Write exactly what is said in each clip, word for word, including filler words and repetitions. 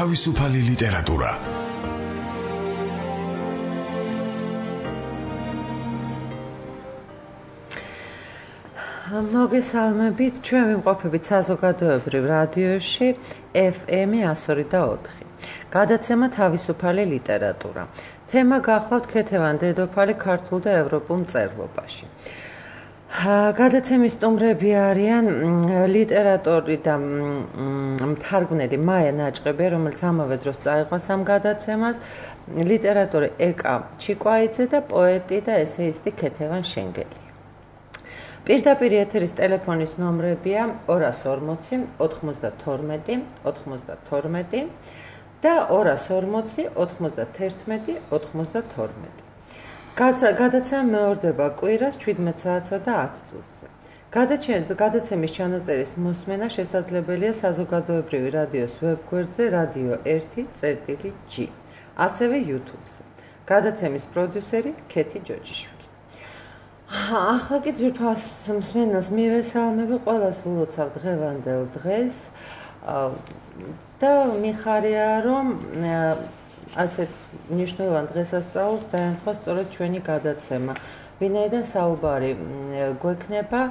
თავისუფალი ლიტერატურა. მოგესალმებით, ჩვენ ვიმყოფებით საზოგადოებრივ რადიოში ეფ ემ εκατო ორი და ოთხი. გადაცემა თავისუფალი ლიტერატურა. თემა გახლავთ ქეთევან დედოფალი ქართულ და ევროპულ მწერლობაში. გადაცემის სტუმრები არიან ლიტერატორი და მთარგმნელი მაია ნაჭყებია, რომელიც ამავე დროს წაიყვანს ამ გადაცემას, ლიტერატორი ეკა ჩიკვაიძე და პოეტი და ესეისტი ქეთევან შენგელია. პირდაპირ ეთერის ტელეფონის ნომრებია ორას ორმოცი, ოთხმოცდათორმეტი, ოთხმოცდათორმეტი და ორას ორმოცი, ოთხმოცდათერთმეტი, ოთხმოცდათორმეტი. გადაცემა მეორდება კვირას ჩვიდმეტ საათსა და ათ წუთზე. გადაცემის ჩანაწერის მოსმენა შესაძლებელია საზოგადოებრივი რადიოს ვებგვერდზე რადიო ერთი წერტილი ჯი, ასევე YouTube-ზე. გადაცემის პროდიუსერი ქეთი ჯოჯიშვილი. ახლა კი ძვირფას მსმენელს მივესალმები, ყველას ვილოცავ დღევანდელ დღეს და მიხარია, რომ ასეთ მნიშვნელოვან დღესასწაულს დაემთხვა სწორედ ჩვენი გადაცემა, ვინაიდან საუბარი გვექნება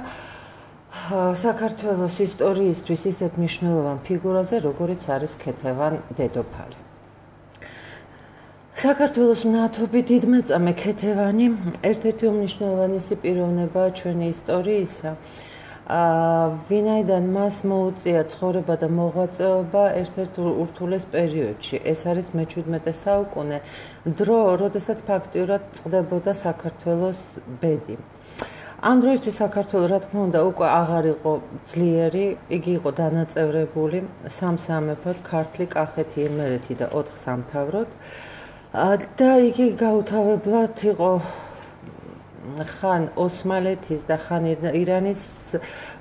საქართველოს ისტორიისთვის ისეთ მნიშვნელოვან ფიგურაზე, როგორიც არის ქეთევან დედოფალი. საქართველოს მნათობი დიდმეწამე ქეთევანი ერთ-ერთი უმნიშვნელოვანესი პიროვნებაა ჩვენი ისტორიისა. ვინაიდან მას მოუწია ცხოვრება და მოღვაწეობა ერთ-ერთ ურთულეს პერიოდში. ეს არის მეჩვიდმეტე საუკუნე, დრო, როდესაც ფაქტიურად წყდებოდა საქართველოს ბედი. ამ დროისთვის საქართველო, რა თქმა უნდა, უკვე აღარ იყო ძლიერი, იგი იყო დანაწევრებული სამ სამეფოდ, ქართლი, კახეთი, იმერეთი და ოთხ სამთავროდ. და იგი გაუთავებლად იყო ხან ოსმალეთის და ხან ირანის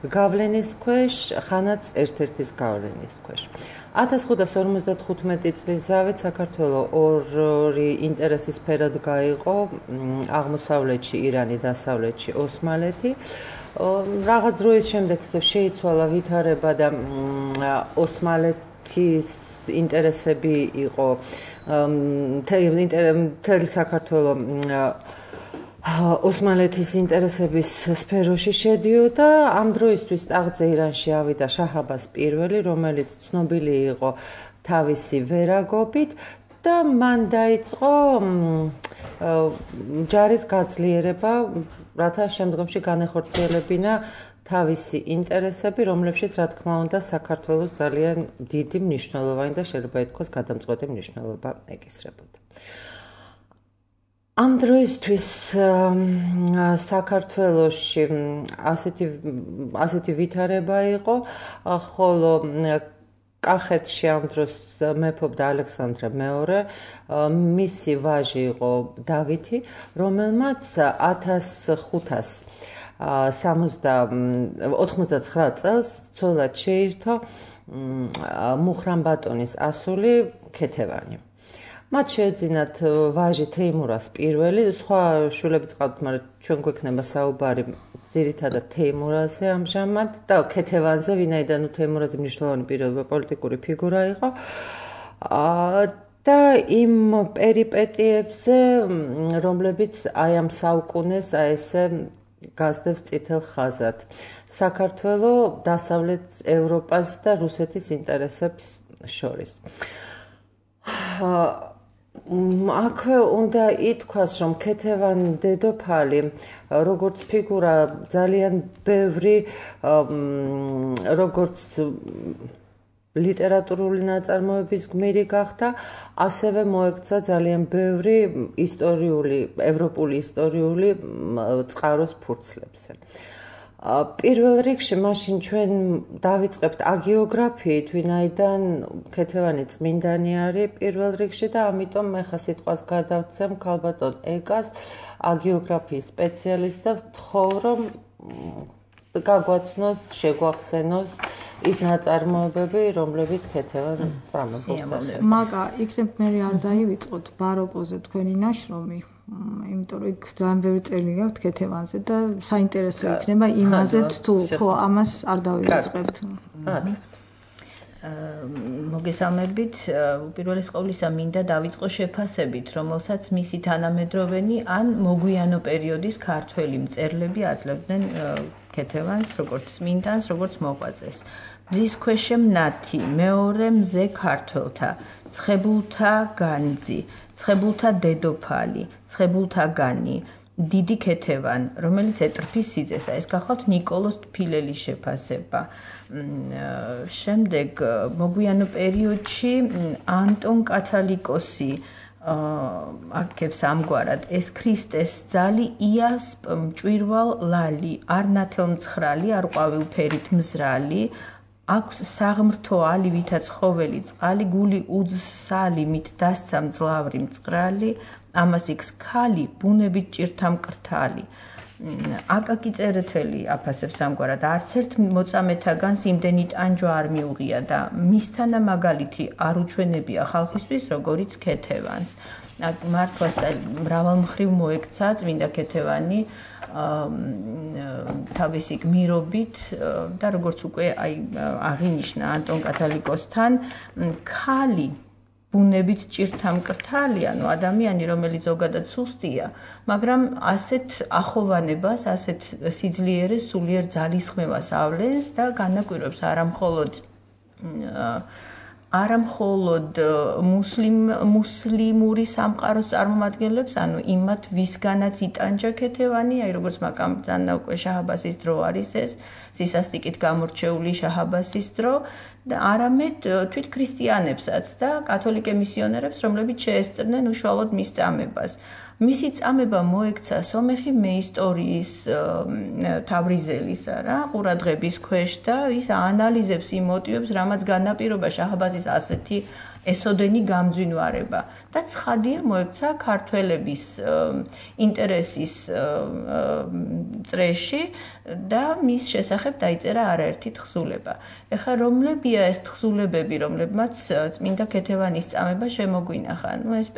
გავლენის ქვეშ, ხანაც ერთ-ერთის გავლენის ქვეშ. ათას ხუთას ორმოცდათხუთმეტი წლის ზავით საქართველო ორი ინტერესის სფეროდ გაიყო, აღმოსავლეთში ირანი, დასავლეთში ოსმალეთი. რაღაც დროის შემდეგ ისევ შეიცვალა ვითარება და ოსმალეთის ინტერესები იყო მთელი საქართველო ოსმალეთის ინტერესების სფეროში შედიოდა. ამ დროისთვის ტახტზე ირანში ავიდა შაჰ-აბას პირველი, რომელიც ცნობილი იყო თავისი ვერაგობით და მან დაიწყო ჯარის გაძლიერება, რათა შემდგომში განეხორციელებინა თავისი ინტერესები, რომლებშიც, რა თქმა უნდა, საქართველოს ძალიან დიდი მნიშვნელოვანი და შეიძლება ითქვას გადამწყვეტი მნიშვნელობა ეკისრებოდა. ამ დროისთვის საქართველოში ასეთი ასეთი ვითარება იყო, ხოლო კახეთში ამ დროს მეფობდა ალექსანდრე მეორე, მისი ვაჟი იყო დავითი, რომელმაც ათას ხუთას ოცდაცხრა წელს ცოლად შეირთო მუხრან ბატონის ასული ქეთევანი. მათ შეეძინათ ვაჟი თეიმურას პირველი, სხვა შვილებიც ყავთ, მაგრამ ჩვენ გვექნება საუბარი ძირითადად თეიმურაზე ამჟამად და ქეთევანზე, ვინაიდან თეიმურაზე მნიშვნელოვანი პიროვნება, პოლიტიკური ფიგურა იყო. და იმ პერიპეტიებზე, რომლებიც აი ამ საუკუნეს აი ესე გასდევს წითელ ხაზად. საქართველო დასავლეთ ევროპას და რუსეთის ინტერესებს შორის. აქვე უნდა ითქვას, რომ ქეთევან დედოფალი, როგორც ფიგურა, ძალიან ბევრი, როგორც ლიტერატურული ნაწარმოების გმირი გახდა, ასევე მოექცა ძალიან ბევრი ისტორიული, ევროპული ისტორიული წყაროს ფურცლებზე. პირველ რიგში მაშინ ჩვენ დავიწყებთ აგიოგრაფიით, ვინაიდან ქეთევანი წმინდანი არის პირველ რიგში და ამიტომ მე ხა სიტყვას გადავცემ ქალბატონ ეკას, აგიოგრაფიის სპეციალისტს და ვთხოვ, რომ გაგვაცნოს, შეგვახსენოს ის ნაწარმოებები, რომლებიც ქეთევან წამებულს ეხება. მაგა, იქნებ მე არ დაივიწყოთ ბაროკოზე თქვენი ნაშრომი, იმიტომ რომ იქ ძალიან ბევრი წელი გაქვთ ქეთევანზე და საინტერესო იქნება იმაზეც თუ ხო ამას არ დავივიწყებთ. მოგესალმებით, უპირველეს ყოვლისა მინდა დავიწყო შეფასებით, რომელსაც მისი თანამედროვენი ან მოგვიანო პერიოდის ქართველი მწერლები აძლევდნენ ქეთევანს, როგორც წმინდანს, როგორც მოღვაწეს. მზის ქვეშემნათი, მეორე მზე ქართველთა, ცხებულთა განძი, ცხებულთა დედოფალი, ცხებულთა განი, დიდი ქეთევან, რომელიც ეტრფის სიძესა, ეს გახლავთ ნიკოლოზ თბილელის შეფასება. შემდეგ მოგვიანო პერიოდში ანტონ კათალიკოსი აქებს ამგვარად ეს ქრისტეს ძალი იას მჭვირვალ ლალი, არ ნათელმცხრალი, არ ყვავილფერით მზრალი, აქვს საღმრთო ალივითა ცხოველი წყალი, გული უძსალი, მით დასცა მძლავრი მწყრალი, ამას იქს ქალი, ბუნებით ჭირთა მკრთალი. აკაკი წერეთელი აფასებს ამგვარად, არც ერთ მოწამეთაგანს იმდენი ტანჯვა არ მიუღია და მისთანა მაგალითი არ უჩვენებია ხალხისთვის, როგორიც ქეთევანს. მართლაც მრავალმხრივ მოექცა წმინდა ქეთევანი თავისი გმირობით და როგორც უკვე აი აღინიშნა ანტონ კათალიკოსთან, ქალი ბუნებით ჭირთა მკრთალი, ანუ ადამიანი, რომელიც ზოგადად სუსტია, მაგრამ ასეთ ახოვანებას, ასეთ სიძლიერეს, სულიერ ძალისხმევას ავლენს და განაკვირვებს არამხოლოდ არამხოლოდ მუსლიმ მუსლიმური სამყაროს წარმომადგენლებს, ანუ იმათ ვისგანაც იტანჯა ქეთევანი, აი როგორც მაგამბძანა უკვე შაჰაბასის დრო არის ეს, სისასტიკით გამორჩეული შაჰაბასის დრო და არამედ თვით ქრისტიანებსაც და კათოლიკე მისიონერებს, რომლებიც შეესწრნენ უშუალოდ მის წამებას. მისი წამება მოექცა სომეხი მეისტორიის თავრიზელისა რა, ყურადღების ქვეშ და ის აანალიზებს იმ მოტივებს, რამაც განაპირობა შაჰაბაზის ასეთი ესოდენი გამძვინვარება და ცხადია მოექცა ქართველების ინტერესის წრეში და მის შესახებ დაიწერა არაერთი თხზულება. ეხლა რომლებია ეს თხზულებები, რომლებმაც წმინდა ქეთევანის წამება შემოგვინახა? ნუ ეს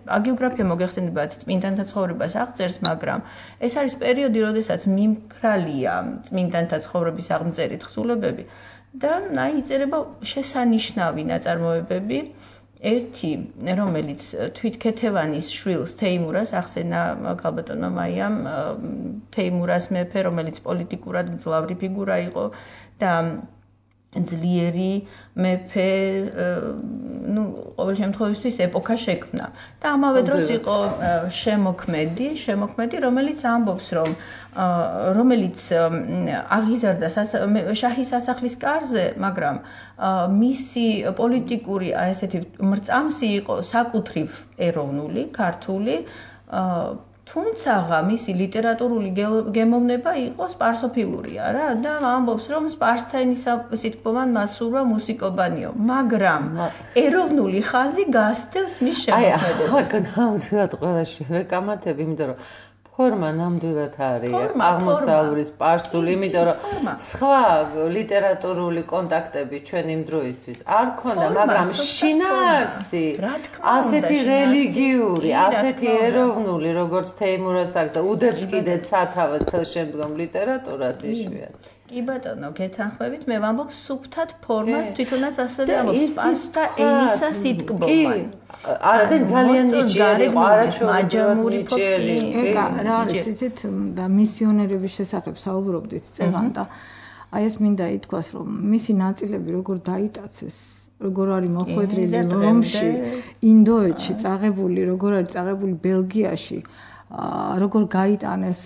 აგიოგრაფია მოგეხსენებათ წმინდანთა ცხოვრებას აღწერს, მაგრამ ეს არის პერიოდი, როდესაც მიმქრალია წმინდანთა ცხოვრების აღმწერი თხზულებები და აი იწერება შესანიშნავი ნაწარმოებები. ერთი, რომელიც თვით ქეთევანის შვილს თეიმურას ახსენა ქალბატონმა მაიამ, თეიმურას მეფე, რომელიც პოლიტიკურად მძლავრი ფიგურა იყო და ძლიერი მეფე, ну, ყოველ შემთხვევაში ეპოქა შექმნა. და ამავე დროს იყო შემოქმედი, შემოქმედი, რომელიც ამბობს, რომ რომელიც აღიზარდა შაჰის სასახლის კარზე, მაგრამ მისი პოლიტიკური ესეთი მრწამსი იყო საკუთრივ ეროვნული, ქართული, თუმცა მისი ლიტერატურული გემოვნება იყო სპარსოფილურია რა და ამბობს რომ სპარსთენის სიტყვოვან მასურვა მუსიკობანიო, მაგრამ ეროვნული ხაზი გასდევს მის შემოქმედებას. აი, აქ ნამდვილად ყველაში ვეკამათებ, იმიტომ რომ ფორმა ნამდვილად არის აღმოსავლური სპარსული, იმიტომ რომ სხვა ლიტერატურული კონტაქტები ჩვენ იმ დროისთვის არ ქონდა, მაგრამ შინაარსი ასეთი რელიგიური, ასეთი ეროვნული, როგორც თეიმურას აქვს და უდებს კიდეც სათავეს ხელშემდგომ ლიტერატურას იშვიათი. კი ბატონო, გეთანხმებით, მე ვამბობ სუფთად ფორმას თვითონაც ასევე ამბობს სპარსთა ენისა სიტკბომან. არა და ძალიან ნიჭიერი, არაჩვეულებრივად ნიჭიერი. რა არის იცით და მისიონერების შესახებ საუბრობდით წეგან და აი ეს მინდა ითქვას, რომ მისი ნაწილები როგორ დაიტაცეს, როგორ არის მოხვედრილი რომში, ინდოეთში წაღებული, როგორ არის წაღებული ბელგიაში. როგორ გაიტანეს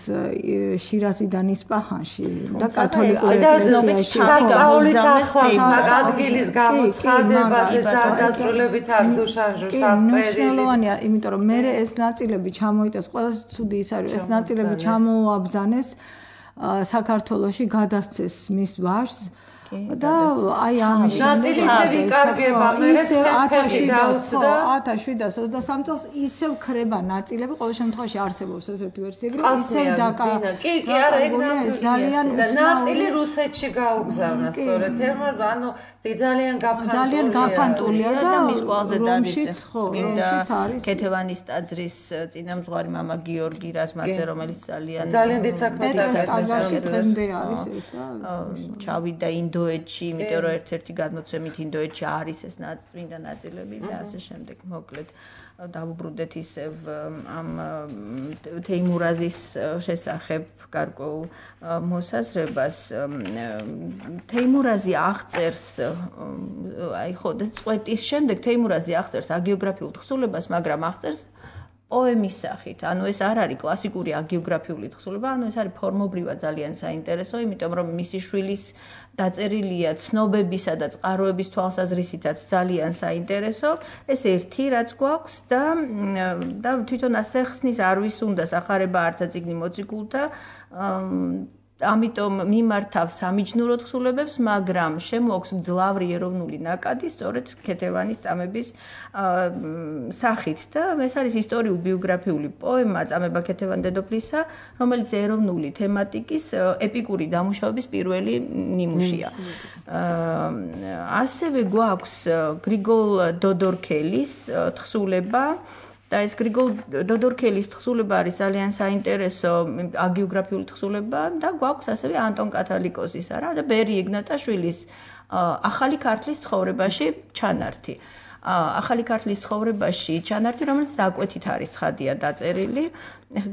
შირაზიდან ისპაჰანში და კათოლიკურ ეკლესიაში სასწაულის ახლავს ადგილის გამოცხადებაზე სადაწრულებით აკდუშანჟურს აღწერილი. მნიშვნელოვანია, იმიტომ რომ მე ეს ნაწილები ჩამოიტანეს, ყველაზე ცუდი ის არის, ეს ნაწილები ჩამოაბრძანეს საქართველოში, გადასცეს მის ვარს და აი ამის ნაწილი ისე ვიკარგება, მერე ცეცხლი დაუცდა ათას შვიდას ოცდასამი წელს ისევ ქრება ნაწილები, ყოველ შემთხვევაში არსებობს ესეთი ვერსიები, ისევ დაკა. კი, კი, არა, ეგ ძალიან ნაწილი რუსეთში გაუგზავნა სწორედ თერმონ, ანუ ძალიან გაფანტულია. ძალიან გაფანტულია და მის ყველაზე დადის წმინდა ქეთევანის ტაძრის წინამძღვარი მამა გიორგი რაზმაძე, რომელიც ძალიან ძალიან დიდ საქმეს აკეთებს დღემდე არის ეს და ჩავიდა ინდო ინდოეთში, იმიტომ რომ ერთ-ერთი გადმოცემით ინდოეთში არის ეს წმინდა ნაწილები და ასე შემდეგ. მოკლედ დავუბრუნდეთ ისევ ამ თეიმურაზის შესახებ გარკვეულ მოსაზრებას. თეიმურაზი აღწერს აი ხო, წვეტის შემდეგ თეიმურაზი აღწერს აგიოგრაფიულ თხზულებას, მაგრამ აღწერს პოემის სახით. ანუ ეს არ არის კლასიკური აგიოგრაფიული თხზულება, ანუ ეს არის ფორმობრივად ძალიან საინტერესო, იმიტომ რომ მისი შვილის დაწერილია ცნობებისა და წყაროების თვალსაზრისითაც ძალიან საინტერესო. ეს ერთი რაც გვაქვს და და თვითონ ასე ხსნის არ ვის უნდა სახარება არცა წიგნი მოციქულთა ამიტომ მიმართავს სამიჯნურო თხზულებებს, მაგრამ შემოაქვს მძლავრი ეროვნული ნაკადი სწორედ ქეთევანის წამების სახით და ეს არის ისტორიულ ბიოგრაფიული პოემა წამება ქეთევან დედოფლისა, რომელიც ეროვნული თემატიკის ეპიკური დამუშავების პირველი ნიმუშია. ასევე გვაქვს გრიგოლ დოდორქელის თხზულება და ეს გრიგოლ დოდორქელის თხზულება არის ძალიან საინტერესო აგიოგრაფიული თხზულება და გვაქვს ასევე ანტონ კათალიკოსის არა და ბერი ეგნატაშვილის ახალი ქართლის ცხოვრებაში ჩანართი. ახალი ქართლის ცხოვრებაში ჩანართი, რომელიც დაკვეთით არის ცხადია დაწერილი.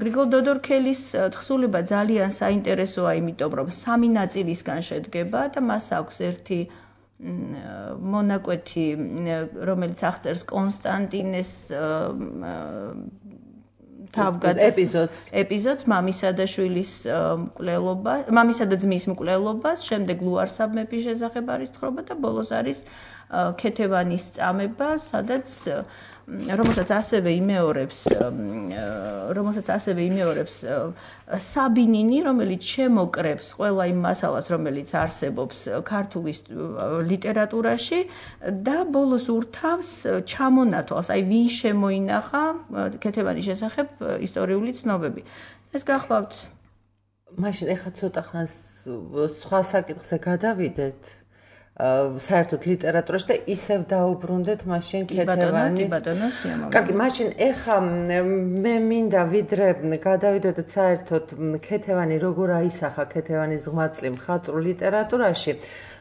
გრიგოლ დოდორქელის თხზულება ძალიან საინტერესოა, იმიტომ რომ სამი ნაწილისგან შედგება და მას აქვს ერთი მონაკვეთი, რომელიც აღწერს კონსტანტინეს ეპიზოდს ეპიზოდს მამისა და შვილის მკვლელობა, მამისა და ძმის მკვლელობას, შემდეგ ლუარსაბ მეფის შესახებ არის თხრობა და ბოლოს არის ქეთევანის წამება, სადაც რომელსაც ასევე იმეორებს რომელსაც ასევე იმეორებს საბინინი, რომელიც შემოკრებს ყველა იმ მასალას, რომელიც არსებობს ქართულ ლიტერატურაში და ბოლოს ურთავს ჩამონათვალს, აი ვინ შემოინახა ქეთევანის შესახებ ისტორიული ცნობები. ეს გახლავთ. მაშინ ეხლა ცოტა ხანს სხვა საკითხზე გადავიდეთ. საერთოდ ლიტერატურაში და ისევ დაუბრუნდეთ მაშინ ქეთევანის. კარგი, მაშინ ეხა მე მინდა ვიდრე გადავიდოდეთ საერთოდ ქეთევანი როგორ აისახა ქეთევანის ღმაწლი მხატვრულ ლიტერატურაში.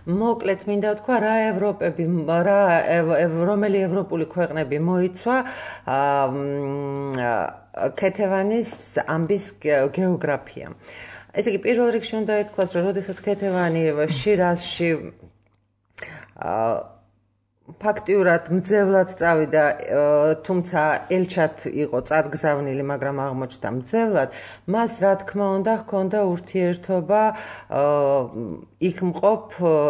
მოკლედ მინდა ვთქვა რა ევროპები რა რომელი ევროპული ქვეყნები მოიცვა ქეთევანის ამბის გეოგრაფია. ესე იგი პირველ რიგში უნდა ითქვას, რომ როდესაც ქეთევანი შირაზში ფაქტიურად მძევლად წავიდა, თუმცა ელჩად იყო წარგზავნილი, მაგრამ აღმოჩნდა მძევლად, მას რა თქმა უნდა ჰქონდა ურთიერთობა იქ მყოფ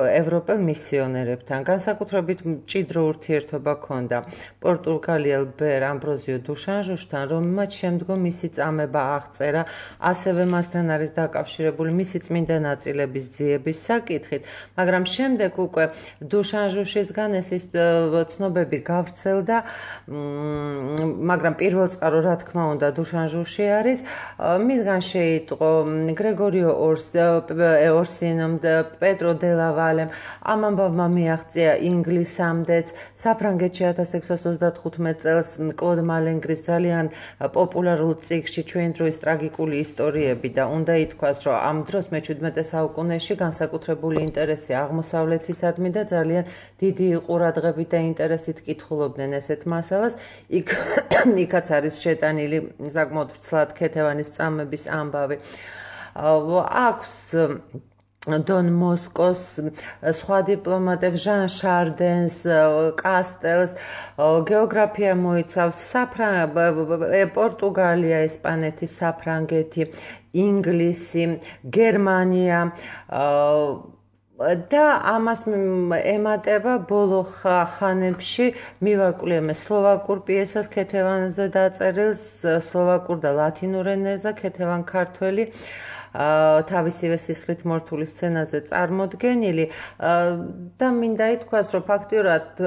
ევროპელ მისიონერებთან. განსაკუთრებით მჭიდრო ურთიერთობა ჰქონდა პორტუგალიელ ბერ ამბროზიო დუშანჟუშთან, რომელმაც შემდგომ მისი წამება აღწერა, ასევე მასთან არის დაკავშირებული მისი წმინდა ნაწილების ძიების საკითხით, მაგრამ შემდეგ უკვე დუშანჟუშისგან ეს ცნობები გავრცელდა, მაგრამ პირველ წყარო რა თქმა უნდა დუშანჟუში არის. მისგან შეიტყო გრეგორიო ორსინომ და პედრო დელავალემ, ამ ამბავმა მიაღწია ინგლისამდეც. საფრანგეთში ათას ექვსას ოცდახუთმეტ წელს კლოდ მალენგრის ძალიან პოპულარულ წიგნში ჩვენი დროის ტრაგიკული ისტორიები და უნდა ითქვას, რომ ამ დროს მეჩვიდმეტე საუკუნეში განსაკუთრებული ინტერესი აღმოსავლეთისადმი და ძალიან დიდი ყურადღებით და ინტერესით კითხულობდნენ ესეთ მასალას. იქ იქაც არის შეტანილი საკმაოდ ვრცლად ქეთევანის წამების ამბავი. აქვს დონ მოსკოს სხვა დიპლომატებს, ჟან შარდენს, კასტელს, გეოგრაფია მოიცავს პორტუგალია, ესპანეთი, საფრანგეთი, ინგლისი, გერმანია და ამას ემატება ბოლო ხანებში მივაკვლიე სლოვაკურ პიესას ქეთევანზე დაწერილს, სლოვაკურ და ლათინურ ენებზე ქეთევან ქართველი თავისივე სისხლით მორთული სცენაზე წარმოდგენილი და მინდა ითქვას, რომ ფაქტიურად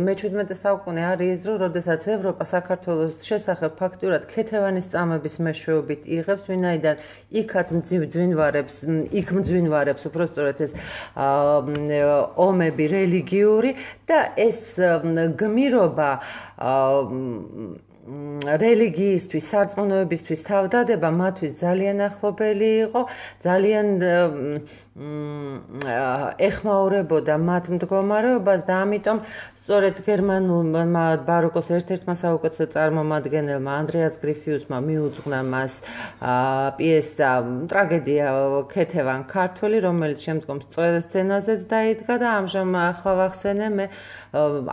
მეჩვიდმეტე საუკუნე არის ის დრო, როდესაც ევროპა საქართველოს შესახებ ფაქტიურად ქეთევანის წამების მეშვეობით იღებს, ვინაიდან იქაც მძვინვარებს, იქ მძვინვარებს უпростоრად ეს ომები რელიგიური და ეს გმირობა რელიგიისთვის, სარწმუნოებისთვის თავდადება მათთვის ძალიან ახლობელი იყო, ძალიან ეხმაურებოდა მათ მდგომარეობას და ამიტომ სწორედ გერმანულმა ბაროკოს ერთ-ერთმა საუკეთესო წარმომადგენელმა ანდრეას გრიფიუსმა მიუძღვნა მას პიესა ტრაგედია ქეთევან ქართველი, რომელიც შემდგომ სცენაზეც დაიდგა და ამჟამად ახლა ვახსენე მე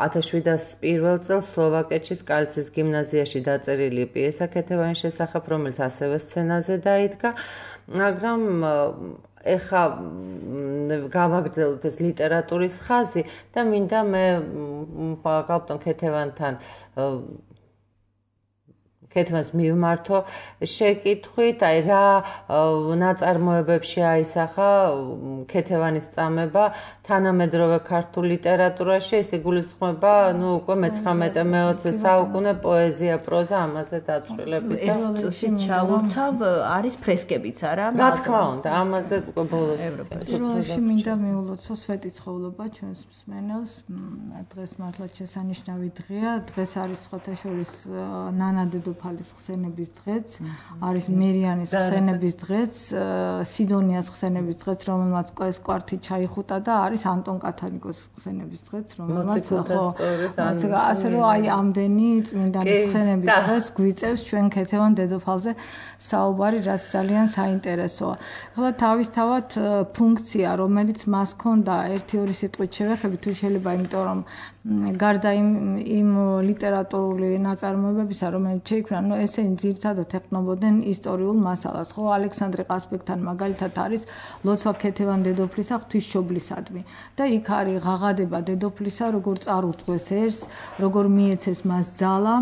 ათას შვიდას პირველ წელს სლოვაკეთში სკალცის გიმნაზიაში დაწერილი პიესა ქეთევანის შესახებ, რომელიც ასევე სცენაზე დაიდგა, მაგრამ ეხა გავაგრძელოთ ეს ლიტერატურის ხაზი და მინდა მე გალბტონ ქეთევანთან ქეთევანს მივმართო შეკითხვით, აი რა ნაწარმოებებში აისახა ქეთევანის წამება თანამედროვე ქართულ ლიტერატურაში, ეს იგულისხმება, ну, უკვე მეცხრამეტე მეოცე საუკუნე პოეზია, პროზა, ამაზე დაწვრილებით. ეს წუთში ჩავურთავ, არის ფრესკებიც, არა? რა თქმა უნდა, ამაზე უკვე ბოლოს ევროპაში მინდა მიულოცო სვეტიცხოვლობა ჩვენს მსმენელს. დღეს მართლაც შესანიშნავი დღეა. დღეს არის სხვათა შორის ნანა დედოფალის ხსენების დღეც, არის მერიანის ხსენების დღეც, სიდონიას ხსენების დღეც, რომელმაც ეს კვართი ჩაიხუტა და არის ანტონ კათალიკოს ხსენების დღეც, რომელმაც ხო ასე რომ აი ამდენი წმინდანის ხსენების დღეს გვიწევს ჩვენ ქეთევან დედოფალზე საუბარი, რაც ძალიან საინტერესოა. ახლა თავისთავად ფუნქცია, რომელიც მას ჰქონდა ერთი ორი სიტყვით შევეხები, თუ შეიძლება, იმიტომ რომ გარდა იმ იმ ლიტერატურული ნაწარმოებებისა, რომელიც შეიქმნა, ну ესენი ძირითადად ეყნობოდნენ ისტორიულ მასალას, ხო, ალექსანდრე ყასბეგთან მაგალითად არის ლოცვა ქეთევან დედოფლისა ღვთისმშობლისადმი და იქ არის ღაღადება დედოფლისა, როგორ წარუძღვეს ერს, როგორ მიეცეს მას ძალა.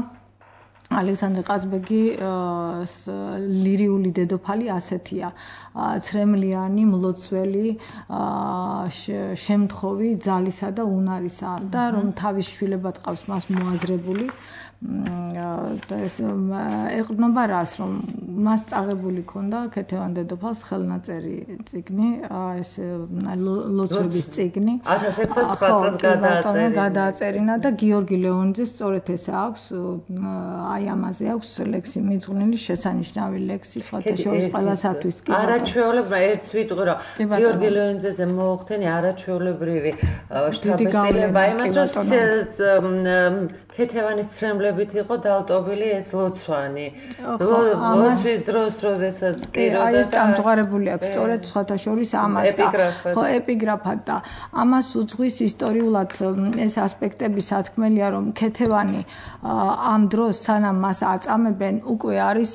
ალექსანდრე ყაზბეგი ლირიული დედოფალი ასეთია, ცრემლიანი, მლოცველი, შემთხოვი ძალისა და უნარისა და რომ თავის შვილებად ყავს მას მოაზრებული და ეს ეყრდნობა რას, რომ მას წაღებული ქონდა ქეთევან დედოფალს ხელნაწერი წიგნი, ეს ლოცვების წიგნი. ათას ექვსას წელს გადააწერინა და გიორგი ლეონიძეს სწორედ ეს აქვს, აი ამაზე აქვს ლექსი მიძღვნილი, შესანიშნავი ლექსი, სხვათა შორის ყველასათვის. არაჩვეულებრივი ერთს ვიტყვი, რომ გიორგი ლეონიძეზე მოუხდენი არაჩვეულებრივი შთაბეჭდილება იმას, რომ ქეთევანის ცრემლებით იყო დალტობილი ეს ლოცვანი. ლოცვის დროს, როდესაც ტიროდა და ეს წამჯღარებული აქვს სწორედ სხვათა შორის ამას და ხო ეპიგრაფად და ამას უძღვის ისტორიულად ეს ასპექტები სათქმელია, რომ ქეთევანი ამ დროს სანამ მას აწამებენ, უკვე არის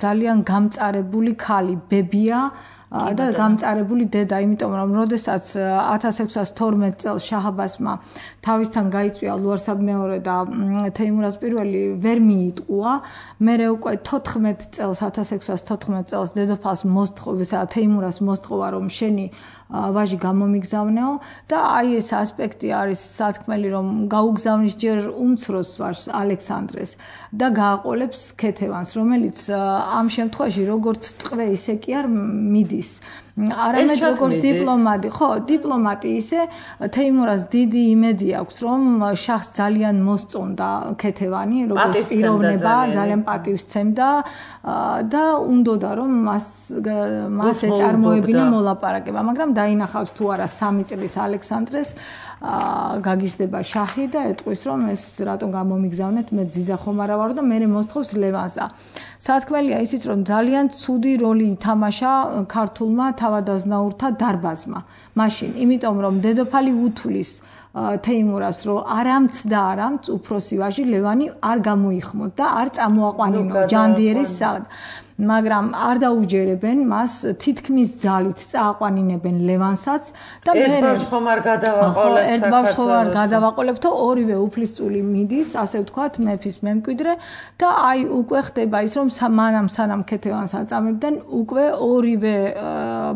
ძალიან გამწარებული ქალი, ბებია და გამწარებული დედა, იმიტომ რომ როდესაც ათას ექვსას თორმეტ წელს შაჰ-აბასმა თავისთან გაიწვია ლუარსაბ მეორე და თეიმურაზ პირველი ვერ მიიტყუა, მერე უკვე თოთხმეტ წელს ათას ექვსას თოთხმეტ წელს დედოფალს მოსთხოვა, თეიმურას მოსთხოვა, რომ შენი ვაჟი გამომიგზავნეო და აი ეს ასპექტი არის სათქმელი, რომ გაუგზავნის ჯერ უმცროს ვაჟს ალექსანდრეს და გააყოლებს ქეთევანს, როგორც ამ შემთხვევაში როგორც ტყვე ისე კი არ მიდის. არამედ როგორც დიპლომატი, ხო, დიპლომატი ისე თეიმურას დიდი იმედი აქვს, რომ შაჰს ძალიან მოსწონდა ქეთევანი, როგორც პიროვნება, ძალიან პატივსცემდა და უნდოდა რომ მას მას ეწარმოებინა მოლაპარაკება, მაგრამ დაინახავს თუ არა სამი წლის ალექსანდრეს, გაგიჟდება შაჰი და ეტყვის რომ ეს რატომ გამომიგზავნეთ, მე ძიძა ხომ არა ვარ და მე მოსთხოვს ლევანს და სათქმელია ისიც რომ ძალიან ცუდი როლი ითამაშა ქართულმა თავადაზნაურთა დარბაზმა მაშინ, იმიტომ რომ დედოფალი უთulis თეიმურას რომ არამცდა არამც უფროსი ვაჟი ლევანი არ გამოიხმოთ და არ წამოაყვანინო ჯანდიერის სად. მაგრამ არ დაუჯერებენ მას, თითქმის ძალით წააყვანინებენ ლევანსაც და მე ერთ ბავშვს ხომ არ გადავაყოლებ ერთ ბავშვს ხომ არ გადავაყოლებთო ორივე უფლისწული მიდის, ასე ვთქვათ, მეფის მემკვიდრე და აი უკვე ხდება ის, რომ მანამ სანამ ქეთევანს აწამებდნენ, უკვე ორივე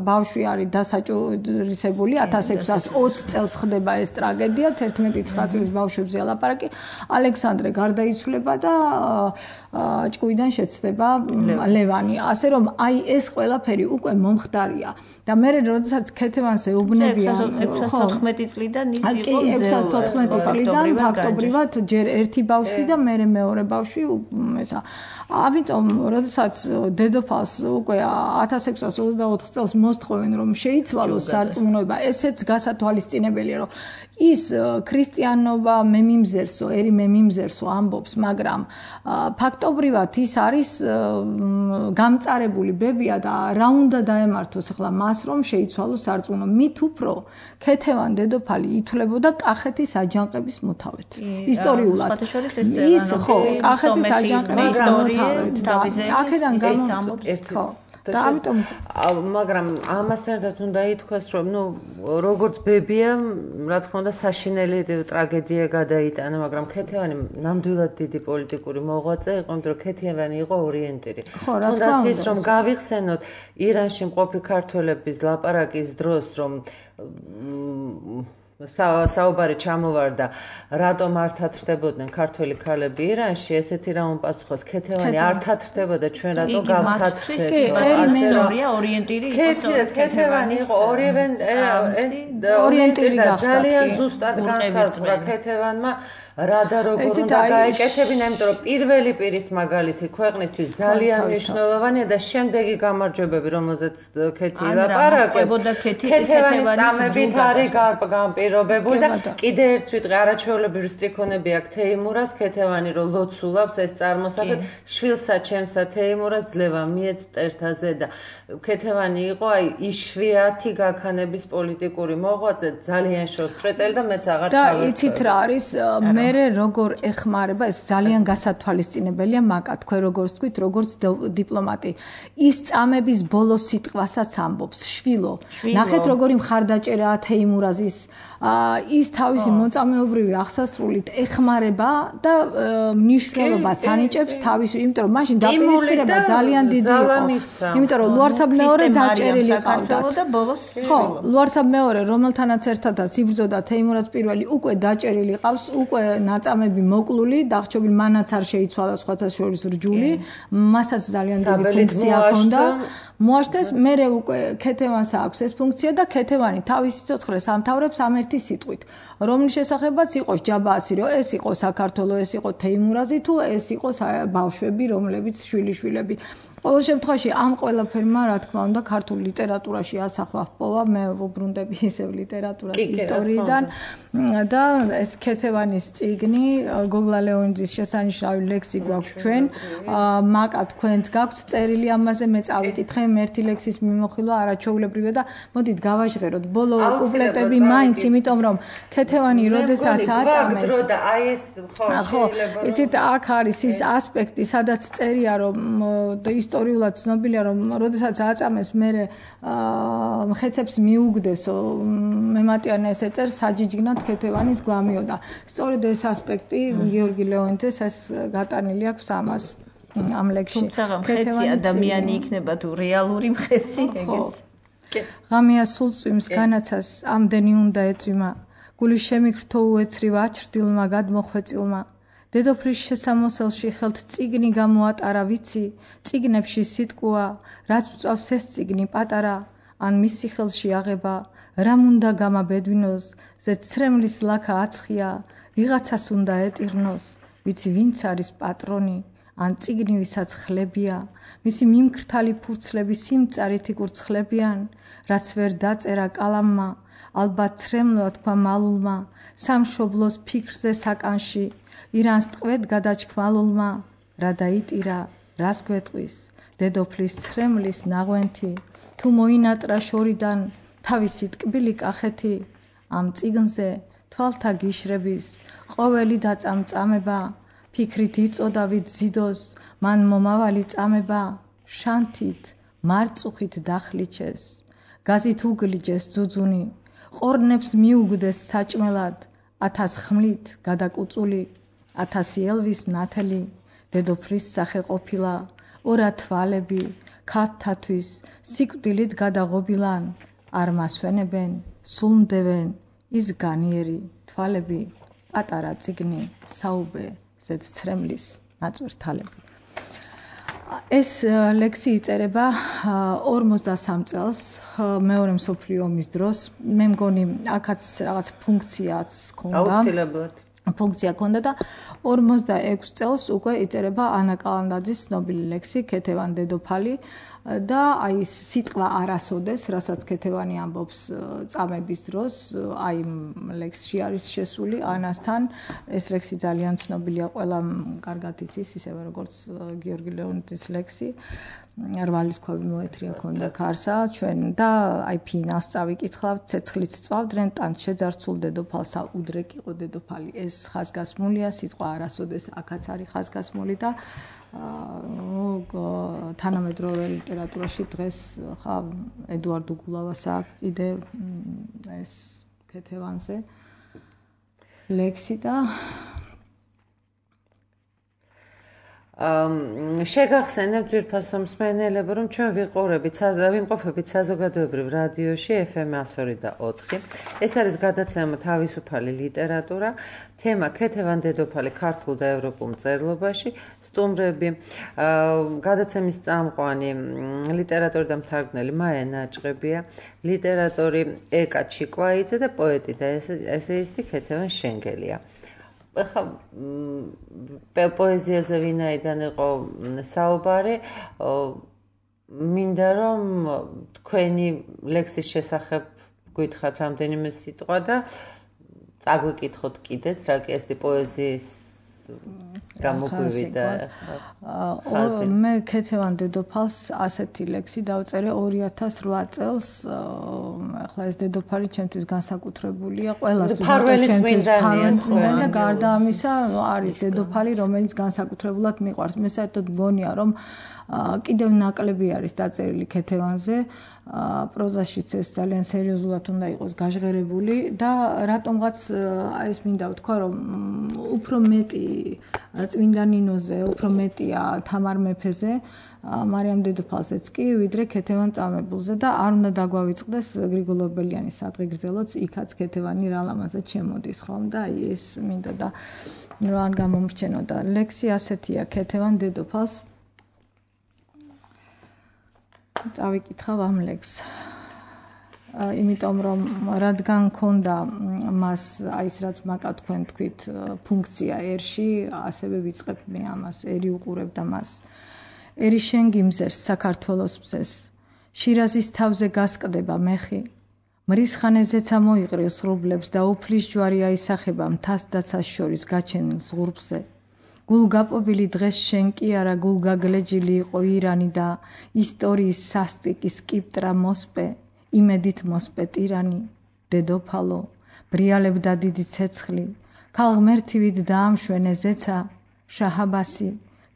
ბავშვი არის დასაჭურისებული ათას ექვსას ოცი წელს ხდება ეს ტრაგედია თერთმეტი ცხრა წლის ბავშვებზე ლაპარაკი ალექსანდრე გარდაიცვლება და ჭკუიდან შეცდება ლევანი ასე რომ აი ეს ყველაფერი უკვე მომხდარია და მე როდესაც ქეთევანს ეუბნებიან ექვსას თოთხმეტი წლიდან ის იყო ექვსას თოთხმეტი წლიდან ფაქტობრივად ჯერ ერთი ბავშვი და მე მეორე ბავშვი ესა ამიტომ როდესაც დედოფალს უკვე ათას ექვსას ოცდაოთხ წელს მოსთხოვენ რომ შეიცვალოს სარწმუნოება ესეც გასათვალისწინებელია რომ ის ქრისტიანობა მე მიმზერსო ერი მე მიმზერსო ამბობს მაგრამ ფაქტობრივად ის არის გამწარებული ბებია და რა უნდა დაემართოს ახლა მას რომ შეიცვალოს სარწმუნო მით უფრო ქეთევან დედოფალი ითვლებოდა კახეთის აჯანყების მოთავედ ისტორიულად ის ხო კახეთის აჯანყების მოთავედ აქედან გამომწვევს ხო და ამიტომ მაგრამ ამასთან ერთად უნდა ითქვას რომ ნუ როგორც ბებია რა თქმა უნდა საშინელი ტრაგედია გადაიტანა მაგრამ ქეთევანი ნამდვილად დიდი პოლიტიკური მოღვაწე იყო იმიტომ რომ ქეთევანი იყო ორიენტირი თუნდაც ის რომ გავიხსენოთ ირანში მყოფი ქართველების ლაპარაკის დროს რომ საუბარი ჩამოვარდა რატომ არ თათრდებოდნენ ქართველი ქალები ირანში ესეთი რა უმპასუხოს ქეთევანი არ თათრდებოდა ჩვენ რატომ გავთათრდებოდა ორიენტირი იყო ქეთევანი იყო ორივე ორიენტირი და ძალიან ზუსტად განსაზღვრა ქეთევანმა რა და როგორ უნდა გაეკეთებინა იმიტომ რომ პირველი პირის მაგალითი ქვეყნისთვის ძალიან მნიშვნელოვანია და შემდეგი გამარჯვებები რომელზეც ქეთი ლაპარაკებდა ქეთევანის წამებით არის განპირობებული და კიდე ერთ ვიტყვი არაჩვეულებრივი სტრიქონები აქვს თეიმურას ქეთევანი რომ ლოცულობს ეს წარმოსახეთ შვილსა ჩემსა თეიმურას ძლევა მიეც მტერთაზე და ქეთევანი იყო აი იშვიათი გაქანების პოლიტიკური მოღვაწე ძალიან შორტწყვეტელი და მეც აღარ ჩავერთვე და იცით რა არის მერე როგორ ეხმარება ეს ძალიან გასათვალისწინებელია მაკა თქვენ როგორც თქვით როგორც დიპლომატი ის წამების ბოლო სიტყვასაც ამბობს შვილო ნახეთ როგორი მხარდაჭერაა თეიმურაზის ის თავისი მოწამეობრივი აღსასრულით ეხმარება და მნიშვნელობას ანიჭებს თავის იმიტომ რომ მაშინ დაპირისპირება ძალიან დიდი იყო იმიტომ რომ ლუარსაბ-მეორე დაჭერილი ყავდა და ბოლოს ხო ლუარსაბ-მეორე რომელთანაც ერთადაც იბრძოდა თეიმურაზ პირველი უკვე დაჭერილი ყავს უკვე ნაწამები მოკლული დახჭობილი მანაც არ შეიცვალა სხვათა შორის რჯული მასაც ძალიან დიდი ფუნქცია ჰქონდა მოაშთეს მერე უკვე ქეთევანს აქვს ეს ფუნქცია და ქეთევანი თავის სიცოცხლეს ამთავრებს ამ ერთი სიტყვით რომლის შესახებაც იყოს ჯაბაასი რომ ეს იყო საქართველო ეს იყო თეიმურაზი თუ ეს იყო ბავშვები რომლებიც შვილიშვილები ყოველ შემთხვევაში ამ ყველაფერმა რა თქმა უნდა ქართულ ლიტერატურაში ასახვა ჰპოვა მე ვუბრუნდები ისევ ლიტერატურას ისტორიიდან და ეს ქეთევანის წიგნი გოგლა ლეონიძის შესანიშნავი ლექსი გვაქვს ჩვენ მაკა თქვენც გაქვთ წერილი ამაზე მე წავიკითხე მე ერთი ლექსის მიმოხილვა არაჩვეულებრივია და მოდით გავაჟღეროთ ბოლო კუპლეტები მაინც იმიტომ რომ ქეთევანი როდესაც აწამეს და აი ეს ხო შეიძლება იცით აქ არის ის ასპექტი სადაც წერია რომ ისტორიულად ცნობილია რომ როდესაც აწამეს მე მხეცებს მიუგდესო მემატიანე ეს ეწერ საჯიჯგნად ქეთევანის გვამიოდა სწორედ ეს ასპექტი გიორგი ლეონიძეს ეს გატანილი აქვს ამას ამ ლექსში თუმცა მხეცი ადამიანი იქნება თუ რეალური მხეცი ეგეც ღამეა სულ წვიმს განაცას ამდენი უნდა ეწვიმა გული შემიგრთო უეცრივ აჩრდილმა გადმოხვეწილმა დედოფლის შესამოსელში ხელთ წიგნი გამოატარა ვიცი წიგნებში სიტყვა რაც უწავს ეს წიგნი პატარა ან მისი ხელში აღება რამ უნდა გამაბედვინოს ზეც ცრემლის ლაქა აცხია ვიღაცას უნდა ეტირნოს ვიცი ვინც არის პატრონი ან წიგნი ვისაც ხლებია მისი მიმქრთალი ფურცლები სიმწარით იკურცხლებიან რაც ვერ დაწერა კალამმა ალბათ ცრემლო თქვა მალულმა სამშობლოს ფიქრზე საკანში ირანს ტყვედ გადაჩქმალულმა რა დაიტირა რას გვეტყვის დედოფლის ცრემლის ნაღვენთი თუ მოინატრა შორიდან თავისი ტკბილი კახეთი ამ წიგნზე თვალთა გიშრების ყოველი დაწამწამება ფიქრით იწოდავით ზიდოს მან მომავალი წამება შანთით მარწუხით დახლიჩეს გაზით უგლიჯეს ძუძუნი ყორნებს მიუგდეს საჭმელად ათას ხმლით გადაკუწული ათასი ელვის ნათელი დედოფლის სახე ყოფილა ორა თვალები ქათთათვის სიკვდილით გადაღობილან არ მასვენებენ სულმდევენ ის განიერი თვალები პატარა წიგნი საუბე ზედცრემლის ნაწვერთალები ეს ლექსი იწერება ორმოცდასამ წელს მეორე მსოფლიო ომის დროს მე მგონი აქაც რაღაც ფუნქციაც ქონდა აუცილებლად ფუნქცია ქონდა და ორმოცდაექვსი წელს უკვე იწერება ანა კალანდაძის ცნობილი ლექსი ქეთევან დედოფალი და აი ეს სიტყვა არასოდეს, რასაც ქეთევანი ამბობს წამების დროს, აი ლექსში არის შესული ანასთან. ეს ლექსი ძალიან ცნობილია, ყველამ კარგად იცის, ისევე როგორც გიორგი ლეონიძის ლექსი. რვალის ქვები მოეთრია ქონდა ქარსა ჩვენ და აი ფინალს წავიკითხავთ, ცეცხლიც წვავდნენ, თან შეძარცულ დედოფალსა უდრეკ იყო დედოფალი. ეს ხაზგასმულია, სიტყვა არასოდეს აქაც არის ხაზგასმული და თანამედროვე ლიტერატურაში დღეს ხა ედუარდ უგულავას აქვს კიდე ეს ქეთევანზე ლექსი და შეგახსენებთ ძვირფასო მსმენელებო, რომ ჩვენ ვიყურებით, ვიმყოფებით საზოგადოებრივ რადიოში ეფ ემ εκατო ორი და ოთხი. ეს არის გადაცემა თავისუფალი ლიტერატურა, თემა ქეთევან დედოფალი ქართულ და ევროპულ მწერლობაში, სტუმრები, გადაცემის წამყვანი ლიტერატორი და მთარგმნელი მაია ნაჭყებია, ლიტერატორი ეკა ჩიკვაიძე და პოეტი და ესეისტი ქეთევან შენგელია. ეხლა პოეზიაზე ვინაიდან იყო საუბარი, მინდა რომ თქვენი ლექსის შესახებ გითხრათ რამდენიმე სიტყვა და წაგვიკითხოთ კიდეც, რა კი ეს პოეზიის გამოგვივიდა ხაზი. მე ქეთევან დედოფალს ასეთი ლექსი დავწერე ორი ათას რვა წელს. ახლა ეს დედოფალი ჩემთვის განსაკუთრებულია, ყველას უბრალოდ წმინდანია და გარდა ამისა არის დედოფალი, რომელიც განსაკუთრებულად მიყვარს. მე საერთოდ მგონია, რომ კიდევ ნაკლები არის დაწერილი ქეთევანზე. პროზაშიც ეს ძალიან სერიოზულად უნდა იყოს გაჟღერებული და რატომღაც ეს მინდა ვთქვა, რომ უფრო მეტი წმინდა ნინოზე, უფრო მეტია თამარ მეფეზე, მარიამ დედოფალზეც კი, ვიდრე ქეთევან წამებულზე და არ უნდა დაგვავიწყდეს გრიგოლ ორბელიანის სადღეგრძელოც, იქაც ქეთევანი რა ლამაზად შემოდის, ხომ და აი ეს მინდა და რა არ გამომრჩენოდა. ლექსი ასეთია ქეთევან დედოფალს. წავიკითხავ ამ ლექსს. იმიტომ რომ რადგან ქონდა მას აი ეს რაც მაკა თქვენ თქვით ფუნქცია ერში, ასევე ვიწყებ მე ამას, ერი უყურებდა მას. ერი შენ გიმზერს საქართველოს მზეს, შირაზის თავზე გასკდება მეხი, მრისხანეზეცა მოიყრილ სრუბლებს და უფლის ჯვარი აისახება მთას დაცას შორის გაჩენილ ზღურბზე. გულგაპობილი დღეს შენ კი არა გულგაგლეჯილი იყო ირანი და ისტორიის სასტიკის კიპტრა მოსპე, იმედით მოსპე ტირანი, დედოფალო, ბრიალებდა დიდი ცეცხლი, ქალღმერთივით დაამშვენე ზეცა, შაჰაბასი,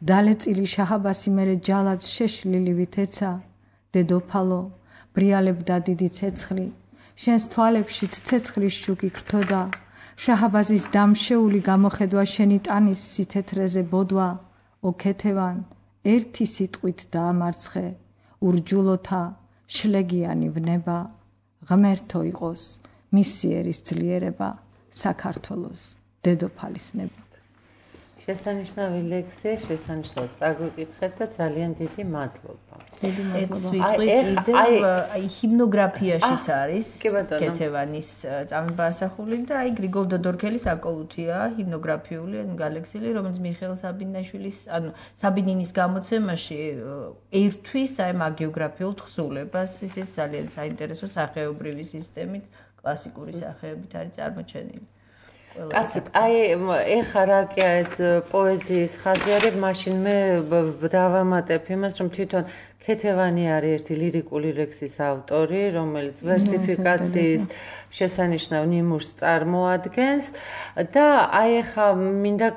დალეწილი შაჰაბასი მერე ჯალად შეშლილი ვითეცა, დედოფალო, ბრიალებდა დიდი ცეცხლი, შენს თვალებშიც ცეცხლის შუქი გრთოდა, შაჰაბაზის დამშეული გამოხედვა შენი ტანის სითეთრეზე ბოდვა, ო ქეთევან, ერთი სიტყვით დაამარცხე, ურჯულოთა შლეგიანი ვნება, ღმერთო იყოს მისი ერის ძლიერება, საქართველოს დედოფალის ნება. შესანიშნავი ლექსი, შესანიშნავად წაგვიკითხეთ და ძალიან დიდი მადლობა. დიდი მადლობა. აი აი ჰიმნოგრაფიაშიც არის ქეთევანის წამება ასახული და აი გრიგოლ დოდორქელის აკოლუთია ჰიმნოგრაფიული გალექსილი, რომელიც მიხეილ საბინაშვილის, ანუ საბინინის გამოცემაში ერთვის აი მაგიოგრაფიულ თხზულებას, ის ის ძალიან საინტერესო სახეობრივი სისტემით, კლასიკური სახეებით არის წარმოჩენილი. კაცი, აი ეხა რა კი ეს პოეზიის ხაზი არის, მაშინ მე დავამატებ იმას, რომ თვითონ ქეთევანი არის ერთი ლირიკული ლექსის ავტორი, რომელიც ვერსიფიკაციის შესანიშნავ ნიმუშს წარმოადგენს და აი ეხა მინდა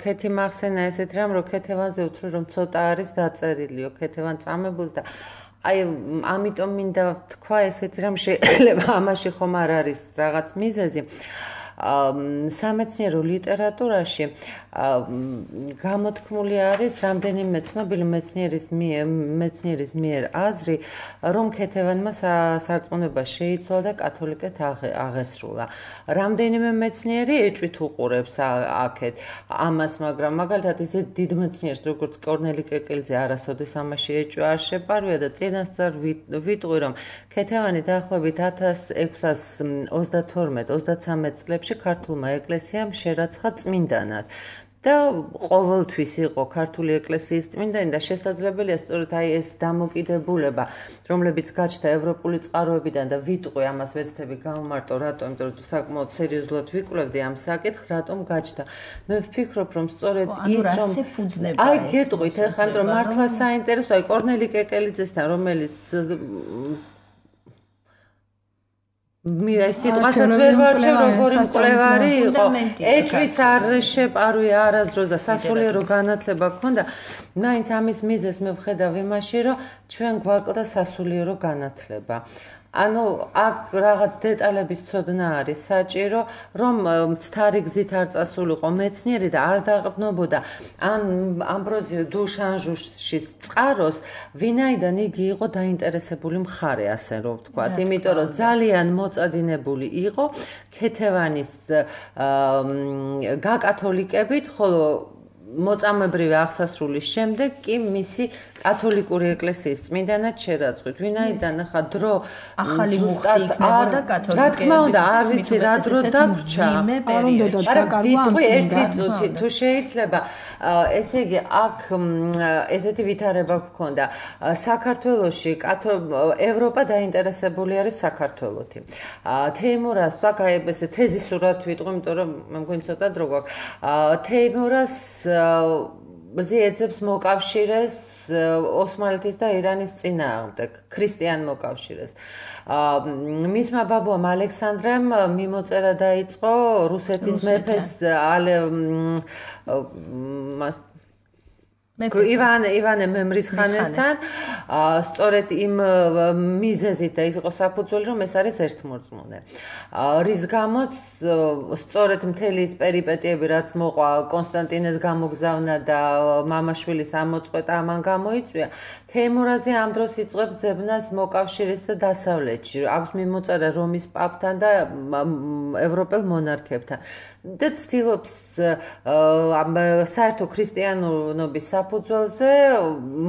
ქეთი მახსენა ესეთ რამ, რომ ქეთევანზე უთხრა რომ ცოტა არის დაწერილიო ქეთევან წამებულს და აი ამიტომ მინდა თქვა ესეთი რამ შეიძლება ამაში ხომ არ არის რაღაც მიზეზი. სამეცნიერო ლიტერატურაში გამოთქმული არის რამდენიმე ცნობილი მეცნიერის მიერ მეცნიერის მიერ აზრი, რომ ქეთევანმა სარწმუნება შეიცვალა და კათოლიკეთ აღესრულა. რამდენიმე მეცნიერი ეჭვით უყურებს აქეთ ამას, მაგრამ მაგალითად ისე დიდ მეცნიერს, როგორც კორნელი კეკელიძე, არასოდეს ამაში ეჭვი არ შეპარვია და წინასწარ ვიტყვი, რომ ქეთევანი დაახლოებით ათას ექვსას ოცდათორმეტ ოცდათსამეტ წლებში ქართულმა ეკლესიამ შერაცხა წმინდანად. და ყოველთვის იყო ქართული ეკლესიის წმინდანი და შესაძლებელია სწორედ აი ეს დამოკიდებულება, რომლებიც გაჩნდა ევროპული წყაროებიდან და ვიტყვი ამას ვეცდები გამომარტო, რატომ, იმიტომ რომ საკმაოდ სერიოზულად ვიკვლევდი ამ საკითხს, რატომ გაჩნდა. მე ვფიქრობ, რომ სწორედ ის რომ აი გეტყვით ახლა, რომ მართლა საინტერესო, აი კორნელი კეკელიძესთან, რომელიც მე სიტყვასაც ვერ ვარჩევ, როგორი მკვლევარი იყო. ეჭვიც არ შეპარვია არასდროს და სასულიერო განათლება ჰქონდა. მაინც ამის მიზეზს მე ვხედავ იმაში, რომ ჩვენ გვაკლდა სასულიერო განათლება. ანუ აქ რაღაც დეტალების ცოდნა არის საჭირო, რომ მცდარი გზით არ წასულიყო მეცნიერი და არ დაყრდნობოდა ან ამბროზიო დუშანჟუშის წყაროს, ვინაიდან იგი იყო დაინტერესებული მხარე, ასე რომ ვთქვათ, იმიტომ რომ ძალიან მოწადინებული იყო ქეთევანის გაკათოლიკებით, ხოლო მოწამებრივი აღსასრულის შემდეგ კი მისი კათოლიკური ეკლესიის წმინდანად შერაცხვით. ვინაიდან ახლა დრო ახალი მუხტი იქნებოდა კათოლიკეების. რა თქმა უნდა, არ ვიცი რა დრო დაგვჭა. მაგრამ ვიტყვი ერთი წუთი თუ შეიძლება, ესე იგი აქ ესეთი ვითარება გქონდა. საქართველოში ევროპა დაინტერესებული არის საქართველოთი. თეიმურას თქვა, აი ესე თეზისურად ვიტყვი, იმიტომ რომ მე მგონი ცოტა დრო გვაქვს. თეიმურას ზეცებს მოკავშირეს ოსმალეთის და ირანის წინააღმდეგ, ქრისტიან მოკავშირეს. მისმა ბაბუამ ალექსანდრემ მიმოწერა დაიწყო რუსეთის მეფეს ივანე ივანე მემრისხანესთან, სწორედ იმ მიზეზით და ის იყო საფუძველი, რომ ეს არის ერთმორწმუნე. რის გამოც სწორედ მთელი ის პერიპეტიები, რაც მოყვა კონსტანტინეს გამოგზავნა და მამაშვილის ამოწყვეტა ამან გამოიწვია, თეიმურაზი ამ დროს იწყებს ძებნას მოკავშირის დასავლეთში. აქვს მიმოწერა რომის პაპთან და ევროპელ მონარქებთან. და ცდილობს საერთო ქრისტიანობის საფუძველზე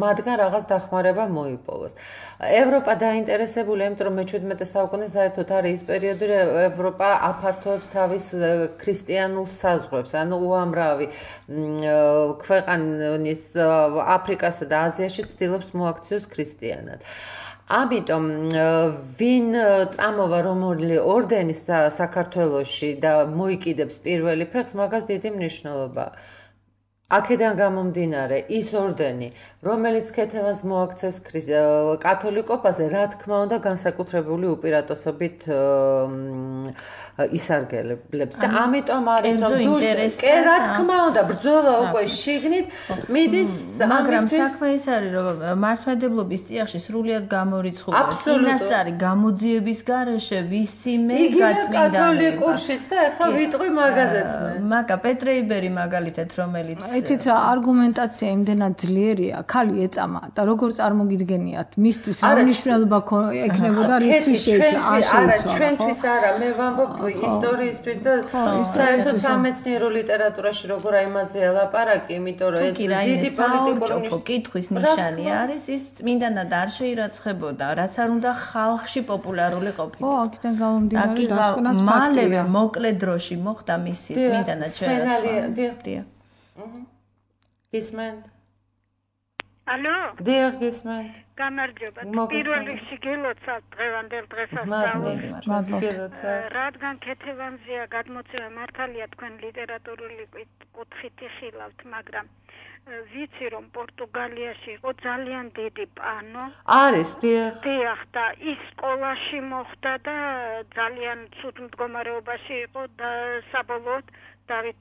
მათგან რაღაც დახმარება მოიპოვოს. ევროპა დაინტერესებულია, იმიტომ რომ მეჩვიდმეტე საუკუნე საერთოდ არის ის პერიოდი, რომ ევროპა აფართოებს თავის ქრისტიანულ საზღვრებს, ანუ უამრავი ქვეყანის აფრიკასა და აზიაში ცდილობს მოაქციოს ქრისტიანად. ამიტომ ვინ წამოვა რომელი ორდენის საქართველოში და მოიკიდებს პირველი ფეხს, მაგას დიდი მნიშვნელობა. აქედან გამომდინარე, ის ორდენი, რომელიც ქეთევანს მოაქცევს კათოლიკობაზე, რა თქმა უნდა, განსაკუთრებული უპირატესობით ისარგებლებს. და ამიტომ არის რომ კი, რა თქმა უნდა, ბრძოლა უკვე შიგნით მიდის, მაგრამ საქმე ის არის, რომ მართლმადიდებლობის წიაღში სრულიად გამორიცხულია. წინასწარი გამოძიების გარეშე ვისიმე გაწმინდანება. კათოლიკურშიც და ახლა ვიტყვი მაგაზეც მე. მაგა პეტრეიბერი მაგალითად, რომელიც იცით რა არგუმენტაცია იმდენად ძლიერია, ხალი ეწამა და როგორ წარმოგიდგენიათ მისთვის რა მნიშვნელობა ექნებოდა რისთვის შეიცვალა. არა, ჩვენთვის არა, მე ვამბობ ისტორიისთვის და საერთოდ სამეცნიერო ლიტერატურაში როგორ აიმაზეა ლაპარაკი, იმიტომ რომ ეს დიდი პოლიტიკური კითხვის ნიშანი არის, ის წმინდანად არ შეირაცხებოდა, რაც არ უნდა ხალხში პოპულარული ყოფილიყო. ო, აქედან გამომდინარე დასკვნაც ფაქტია. მალევე მოკლე დროში მოხდა მისი წმინდანად შერაცხვა. დიახ. გისმენთ? ალო? დიახ, გისმენთ. გამარჯობა. პირველ რიგში გილოცავ დღევანდელ დღესასწაულს. რადგან ქეთევანზეა გადმოცემა მართალია თქვენ ლიტერატურული კუთხით იხილავთ, მაგრამ ვიცი რომ პორტუგალიაში იყო ძალიან დიდი პანო. არის, დიახ. დიახ, და ის სკოლაში მოხდა და ძალიან ცუდ მდგომარეობაში იყო და საბოლოოდ დავით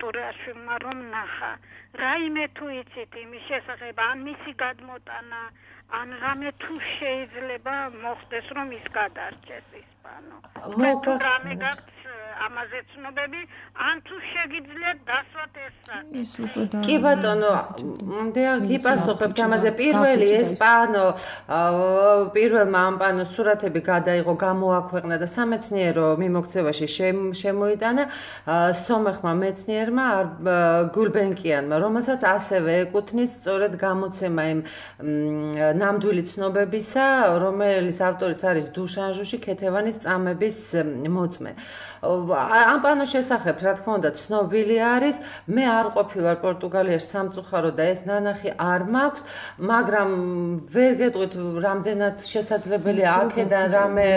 ტურეაშვილმა რომ ნახა. რაიმე თუ იცით იმის შესახებ, ან მისი გადმოტანა, ან რამე თუ შეიძლება მოხდეს, რომ ის გადარჩეს ისპანო. რამე გაქვს ამაზე ცნობები, ან თუ შეგიძლიათ დასვათ ეს საკითხი. კი ბატონო, მდეა გიპასუხებთ ამაზე. პირველი ესპანო პირველმა ამ პანოს სურათები გადაიღო, გამოაქვეყნა და სამეცნიერო მიმოქცევაში შემოიტანა სომეხმა მეცნიერმა გულბენკიანმა, რომელსაც ასევე ეკუთვნის სწორედ გამოცემა იმ ნამდვილი ცნობებისა, რომელიც ავტორიც არის დუშანჟუში, ქეთევანის წამების მოწმე. ამ პანოს შესახებ, რა თქმა უნდა, ცნობილი არის. მე არ ყოფილვარ პორტუგალიაში სამწუხარო და ეს ნანახი არ მაქვს, მაგრამ ვერ გეტყვით, რამდენად შესაძლებელია აქედან რამე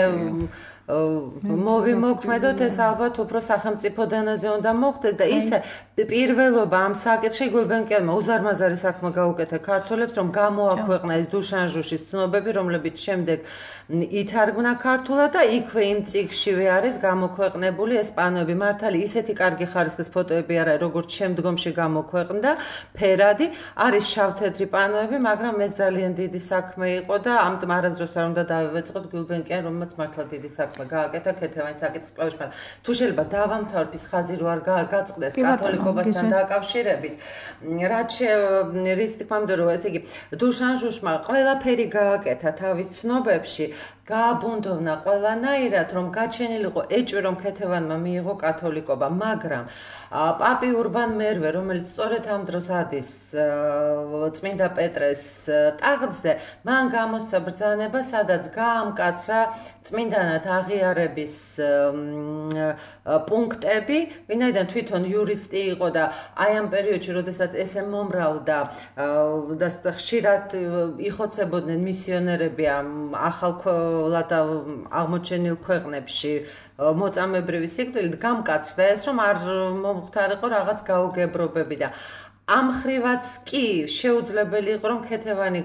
მოვიმოქმედოთ, ეს ალბათ უფრო სახელმწიფო დონეზე უნდა მოხდეს და ისე პირველობა ამ საკითხში გულბენკიანმა უზარმაზარი საქმე გაუკეთა ქართველებს, რომ გამოაქვეყნა ეს დუშანჟუშის ცნობები, რომლებიც შემდეგ ითარგმნა ქართულად და იქვე იმ წიგნშივე არის გამოქვეყნებული ეს პანოები. მართალი ისეთი კარგი ხარისხის ფოტოები არა, როგორც შემდგომში გამოქვეყნდა, ფერადი, არის შავთეთრი პანოები, მაგრამ ეს ძალიან დიდი საქმე იყო და ამიტომ არასდროს არ უნდა დავივეწყოთ გულბენკიან, რომელმაც მართლა დიდი საქმე გააკეთა ქეთევანის საკითხის კვლევის. თუ შეიძლება დავამთავრებ ის ხაზი რო არ გაწყდეს კათოლიკობასთან დაკავშირებით, რაც რის თქმა უნდა რომ ესე იგი დუშანჟუშმა ყველაფერი გააკეთა თავის ცნობებში, გააბუნდოვნა ყველანაირად, რომ გაჩენილიყო ეჭვი, რომ ქეთევანმა მიიღო კათოლიკობა, მაგრამ პაპი ურბან მერვე, რომელიც სწორედ ამ დროს ადის წმინდა პეტრეს ტახტზე, მან გამოსცა ბრძანება, სადაც გაამკაცრა წმინდანად აღიარების პუნქტები, ვინაიდან თვითონ იურისტი იყო და აი ამ პერიოდში, როდესაც ესე მომრავლდა და ხშირად იხოცებოდნენ მისიონერები ამ ახალ აღმოჩენილ ქვეყნებში მოწამებრივი სიკვდილით, გამკაცრდა ეს, რომ არ მომხდარიყო რაღაც გაუგებრობები და ამ ხრივაც კი შეუძლებელი იყო, რომ ქეთევანი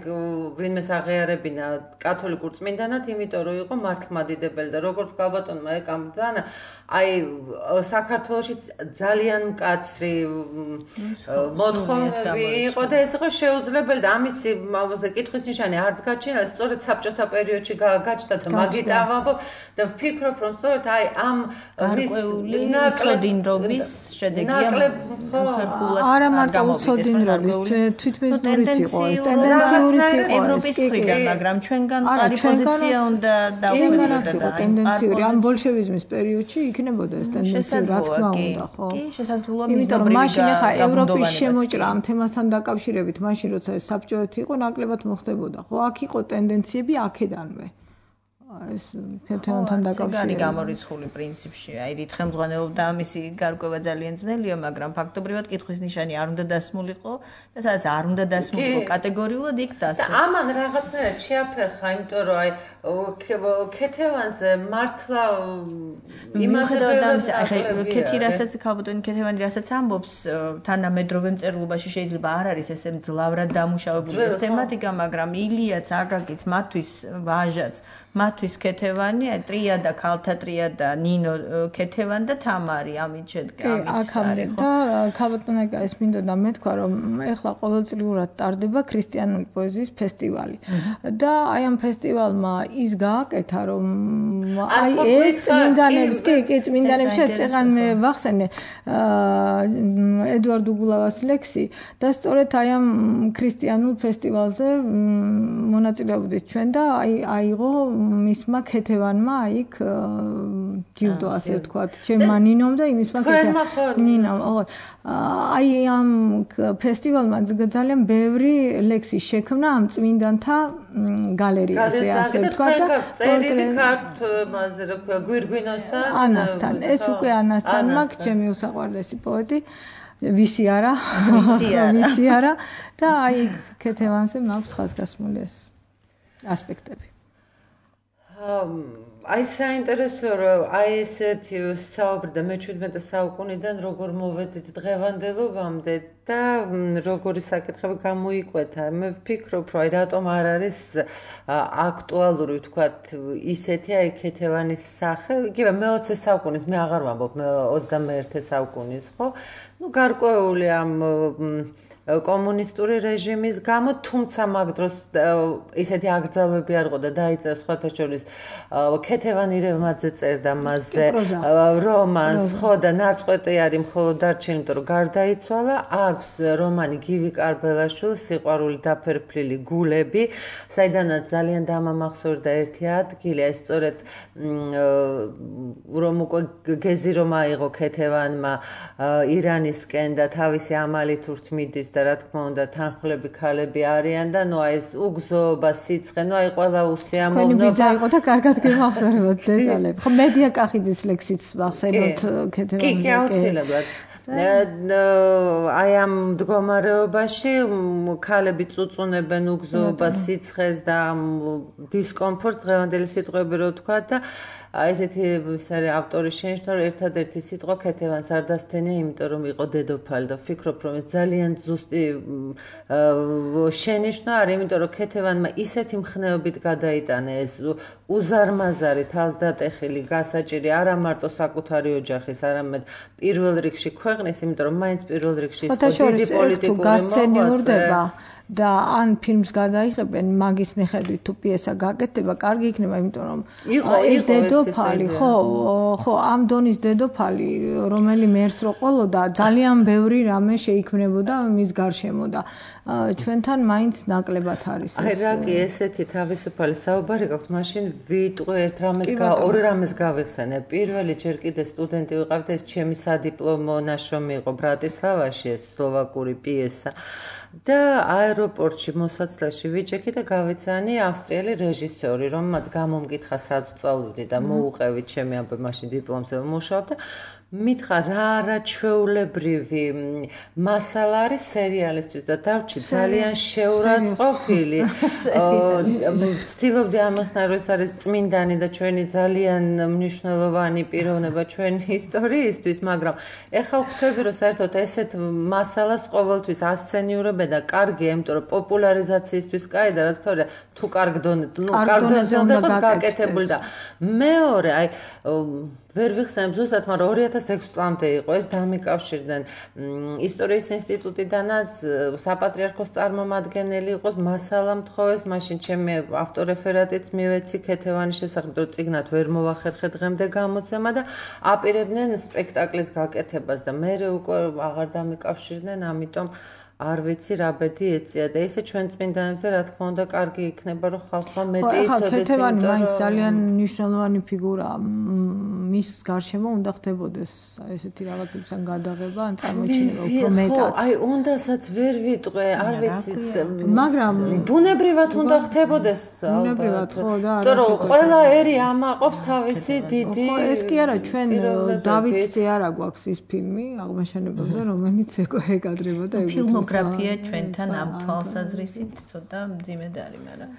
ვინმეს აღიარებინა კათოლიკურ წმინდანად, იმიტომ რომ იყო მართლმადიდებელი და როგორც გალბატონმა ეკამბძანა, აი საქართველოში ძალიან მკაცრი მოთხოვნები იყო და ეს იყო შეუძლებელი და ამისი კითხვის ნიშანი არც გაჩენილა, სწორედ საბჭოთა პერიოდში გაჩნდა და მაგით ავამბობ და ვფიქრობ, რომ სწორედ აი ამ გარკვეული უცოდინრობის შედეგია არა მარტო უცოდინრობის, თვითმეზღურიც იყო ეს, ტენდენციურიც იყო ევროპის მხრიდან, მაგრამ ჩვენგან არის პოზიცია უნდა დავხვდეთ ტენდენციური ამ ბოლშევიზმის პერიოდში იქნებოდა ეს ტენდენცია, რა თქმა უნდა, ხო? კი, შესაძლოა მისდრობი მაშინ ახლა ევროპის შემოჭრა ამ თემასთან დაკავშირებით, მაშინ როცა ეს საბჭოეთი იყო, ნაკლებად მოხდებოდა, ხო? აქ იყო ტენდენციები აქედანვე. ეს ქეთევანთან დაკავშირებით. არის გამორიცხული პრინციპში. აი რით ხელმძღვანელობდა ამისი გარკვევა ძალიან ძნელია, მაგრამ ფაქტობრივად კითხვის ნიშანი არ უნდა დასმულიყო და სადაც არ უნდა დასმულიყო კატეგორიულად იქ დასვა. ამან რაღაცნაირად შეაფერხა, იმიტომ რომ აი ქეთევანზე მართლა იმაზე ქეთი რასაც ქალბატონი ქეთევანი რასაც ამბობს, თანამედროვე მწერლობაში შეიძლება არ არის ესე მძლავრად დამუშავებული ეს თემატიკა, მაგრამ ილიაც, აკაკიც, მათთვის ვაჟაც, მათთვის ქეთევანი, ტრიადა, ქალთა ტრიადა, ნინო ქეთევანი და თამარი, ამით შედგა, ამით არის. და ქალბატონი ეს მინდოდა მეთქვა, რომ ეხლა ყოველწლიურად ტარდება ქრისტიანული პოეზიის ფესტივალი. და აი ამ ფესტივალმა ის გააკეთა, რომ აი ეს წმინდანებს, კი, კი, წმინდანებს შეწეღან მე ვახსენე ედვარდ უგულავას ლექსი და სწორედ აი ამ ქრისტიანულ ფესტივალზე მონაწილეობდით ჩვენ და აი აიღო მისმა ქეთევანმა იქ ჯილდო ასე ვთქვათ, ჩემმა ნინომ და იმისმა ნინომ, ხო. აი ამ ფესტივალმა ძალიან ბევრი ლექსი შექმნა ამ წმინდანთა გალერეაზე, ასე ვთქვათ და წერილი ქართლაზე რა ქვია, გვირგვინოსა ანასთან. ეს უკვე ანასთან მაქვს, ჩემი უსაყვარლესი პოეტი. ვისი არა, ვისი არა, ვისი არა და აი ქეთევანზე მაქვს ხაზგასმული ეს ასპექტები. აი საინტერესოა რომ აი ესეთი საუბრი და მეჩვიდმეტე საუკუნიდან როგორ მოვედით დღევანდელობამდე და როგორი საკითხები გამოიკვეთა. მე ვფიქრობ, რომ აი რატომ არ არის აქტუალური ვთქვათ ისეთი აი ქეთევანის სახე, იგივე მეოცე საუკუნის, მე აღარ ვამბობ ოცდამეერთე საუკუნის, ხო? ნუ გარკვეული ამ კომუნისტური რეჟიმის გამო, თუმცა მაგ დროს ისეთი აკრძალვები არ ყო და დაიწერა სხვათა შორის ქეთევან ირევმაძე წერდა მასზე რომანს, ხო და ნაწყვეტი არის მხოლოდ დარჩენილი, იმიტომ რომ გარდაიცვალა. აქვს რომანი გივი კარბელაშვილის სიყვარული დაფერფლილი გულები, საიდანაც ძალიან დამამახსოვრდა ერთი ადგილი, ეს სწორედ რომ უკვე გეზი რომ აიღო ქეთევანმა ირანისკენ და თავისი ამალით ურთმიდის და რა თქმა უნდა თანხმლები ქალები არიან და ნუ აი ეს უგზოობა, სიცხე, ნუ აი ყველა უსიამოვნობა. თქვენი ბიძა იყო და კარგად გემახსოვრებოდ დეტალები. ხო მედია კახიძის ლექსიც ვახსენოთ ქეთევანზე. კი, კი, აუცილებლად. აი ამ მდგომარეობაში ქალები წუწუნებენ უგზოობას, სიცხეს და დისკომფორტს, დღევანდელი სიტყვები რო თქვა და ესეთი ის არის ავტორის შენიშნა, რომ ერთადერთი სიტყვა ქეთევანს არ დასთენია, იმიტომ რომ იყო დედოფალი და ვფიქრობ, რომ ეს ძალიან ზუსტი შენიშნა არის, იმიტომ რომ ქეთევანმა ისეთი მხნეობით გადაიტანა ეს უზარმაზარი, თავსდატეხილი, გასაჭირი არა მარტო საკუთარი ოჯახის, არამედ პირველ რიგში ქვეყნის, იმიტომ რომ მაინც პირველ რიგში ის დიდი პოლიტიკური მოღვაწე და ან ფილმს გადაიღებენ მაგის მიხედვით თუ პიესა გაკეთდება, კარგი იქნება, იმიტომ რომ ეს დედოფალი, ხო, ხო, ამ დონის დედოფალი, რომელი მერს რო ყოლოდა, ძალიან ბევრი რამე შეიქმნებოდა მის გარშემო და ჩვენთან მაინც ნაკლებად არის ეს. აი რა კი ესეთი თავისუფალი საუბარი გაქვთ, მაშინ ვიტყვი ერთ რამეს, ორ რამეს გავიხსენე. პირველი ჯერ კიდე სტუდენტი ვიყავდი, ეს ჩემი სადიპლომო ნაშრომი იყო ბრატისლავაში, ეს სლოვაკური პიესა. და აეროპორტში მოსაცდელში ვიჭექი და გავეცანი ავსტრიელი რეჟისორი, რომელმაც გამომკითხა სად ვწავლობდი და მოუყევი ჩემი ამ მაშინ დიპლომზე ვმუშაობ და მითხრა რა არაჩვეულებრივი მასალა არის სერიალისთვის და დავრჩი ძალიან შეურაცხყოფილი. ვცდილობდი ამასთან რომ ეს არის წმინდანი და ჩვენი ძალიან მნიშვნელოვანი პიროვნება ჩვენი ისტორიისთვის, მაგრამ ეხლა ვხვდები რომ საერთოდ ესეთ მასალას ყოველთვის ასცენიურებენ და კარგია, იმიტომ რომ პოპულარიზაციისთვის კაი და რა თქმა უნდა თუ კარგ დონეზე, ნუ კარგ დონეზე უნდა იყოს გაკეთებული და მეორე, აი ვერ ვიხსენებ ზუსტად, მაგრამ ორი ათას ექვსი წლამდე იყო ეს დამიკავშირდნენ ისტორიის ინსტიტუტიდანაც საპატრიარქოს წარმომადგენელი იყოს მასალა მთხოვეს, მაშინ ჩემი ავტორეფერატიც მივეცი ქეთევანის შესახებ, რომ წიგნად ვერ მოვახერხე დღემდე გამოცემა და აპირებდნენ სპექტაკლის გაკეთებას და მე უკვე აღარ დამიკავშირდნენ, ამიტომ არ ვიცი რა ბედი ეწია და ესე ჩვენ წმინდანებზე რა თქმა უნდა კარგი იქნება რომ ხალხმა მეტი იცოდეს. ქეთევანი მაინც ძალიან მნიშვნელოვანი ფიგურაა. მის გარშემო უნდა ხდებოდეს ესეთი რაღაცებთან გადაღება, ან წარმოიჩინება უფრო მეტად. აი, უნდასაც ვერ ვიტყვე, არ ვიცი, მაგრამ ბუნებრივად უნდა ხდებოდეს. ბუნებრივად ხო და არა. იმიტომ რომ ყველა ერი ამაყობს თავისი დიდი. ხო, ეს კი არა, ჩვენ დავითზე არა გვაქვს ის ფილმი აღმაშენებელზე, რომელიც ეკადრება და ეგ ფილმოგრაფია ჩვენთან ამ თვალსაზრისით ცოტა მძიმედ არის, მაგრამ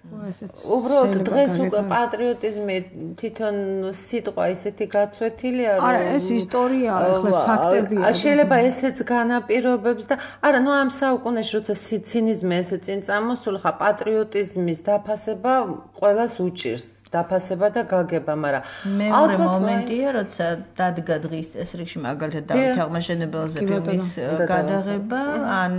უბრალოდ დღეს უკვე პატრიოტიზმი თვითონ სიტყვა ისეთი გაცვეთილია, რომ არა, ეს ისტორია, ახლა ფაქტებია. შეიძლება ესეც განაპირობებს და არა, ნუ ამ საუკუნეში როცა ცინიზმი ესე წინ წამოსული, ხა პატრიოტიზმის დაფასება ყველას უჭირს. დაფასება და გაგება, მაგრამ მეორე მომენტია, როცა დადგა დღის წესრიგში მაგალითად დავით აღმაშენებელზე ფილმის გადაღება, ან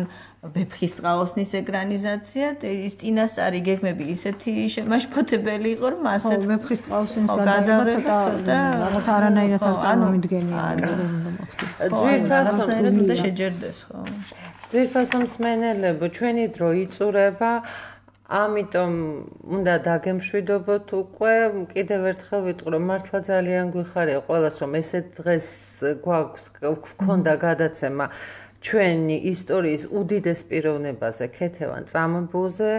ვეფხის ტყაოსნის ეკრანიზაცია, ის წინასწარი გეგმები ისეთი შემაშფოთებელი იყო, რომ ასეც ვეფხის ტყაოსნის გადაღება ცოტა რაღაც არანაირად არ წარმომიდგენია. ძვირფასოვნად უნდა შეჯერდეს, ხო? ძვირფასო მსმენელებო, ჩვენი დრო იწურება, ამიტომ უნდა დაგემშვიდობოთ უკვე, კიდევ ერთხელ ვიტყვი, რომ მართლა ძალიან გვიხარია ყველას, რომ ესეთ დღეს გვაქვს გვქონდა გადაცემა ჩვენი ისტორიის უდიდეს პიროვნებაზე, ქეთევან წამებულზე.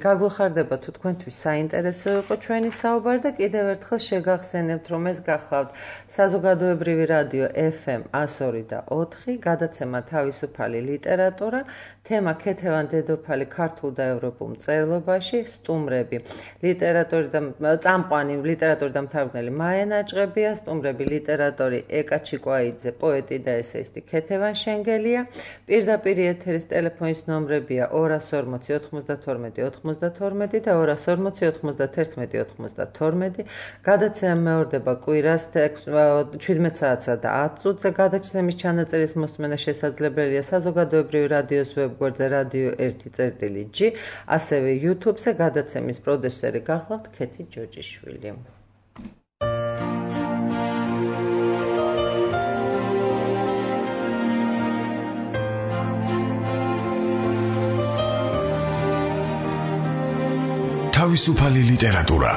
გაგვიხარდება თუ თქვენთვის საინტერესო იყო ჩვენი საუბარი და კიდევ ერთხელ შეგახსენებთ, რომ ეს გახლავთ საზოგადოებრივი რადიო ეფ ემ εκατო ორი და ოთხი, გადაცემა თავისუფალი ლიტერატურა, თემა ქეთევან დედოფალი ქართულ და ევროპულ მწერლობაში, სტუმრები, ლიტერატორი და წამყვანი ლიტერატორი და მთარგმნელი მაია ნაჭყებია, სტუმრები ლიტერატორი ეკა ჩიკვაიძე, პოეტი და ესეისტი ქეთევან შენგელია. პირდაპირ ეთერის ტელეფონის ნომრებია ორას ორმოცი ოთხმოცდათორმეტი ოთხმოცდათორმეტი და ორას ორმოცი ოცდაათერთმეტი ოცდათორმეტი. გადაცემა მეორდება კვირას შვიდმეტ საათსა და ათ წუთზე. გადაცემის ჩანაწერის მოსმენა შესაძლებელია საზოგადოებრივი რადიოს ვებგვერდზე რადიო ერთი წერტილი ჯი, ასევე YouTube-ზე. გადაცემის პროდიუსერი გახლავთ ქეთი ჯოჯიშვილი. თავისუფალი ლიტერატურა